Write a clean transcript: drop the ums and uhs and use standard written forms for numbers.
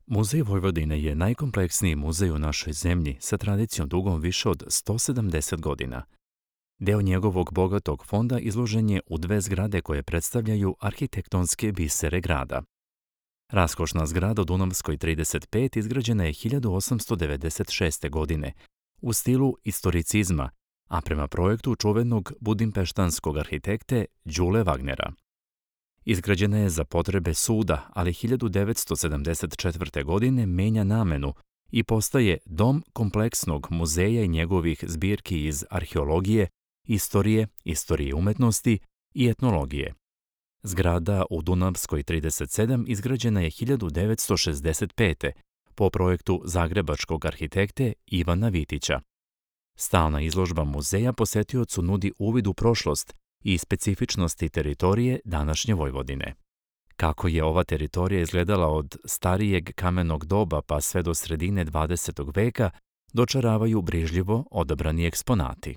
Muzej Vojvodine je najkompleksniji muzej u našoj zemlji sa tradicijom dugom više od 170 godina. Deo njegovog bogatog fonda izložen je u dve zgrade koje predstavljaju arhitektonske bisere grada. Raskošna zgrada u Dunavskoj 35 izgrađena je 1896. godine u stilu istoricizma, a prema projektu čuvenog budimpeštanskog arhitekte Đule Wagnera. Izgrađena je za potrebe suda, ali 1974. godine menja namenu i postaje dom kompleksnog muzeja i njegovih zbirki iz arheologije, istorije umetnosti i etnologije. Zgrada u Dunavskoj 37 izgrađena je 1965. po projektu zagrebačkog arhitekte Ivana Vitića. Stalna izložba muzeja posetiocu nudi uvid u prošlost i specifičnosti teritorije današnje Vojvodine. Kako je ova teritorija izgledala od starijeg kamenog doba pa sve do sredine 20. veka, dočaravaju brižljivo odabrani eksponati.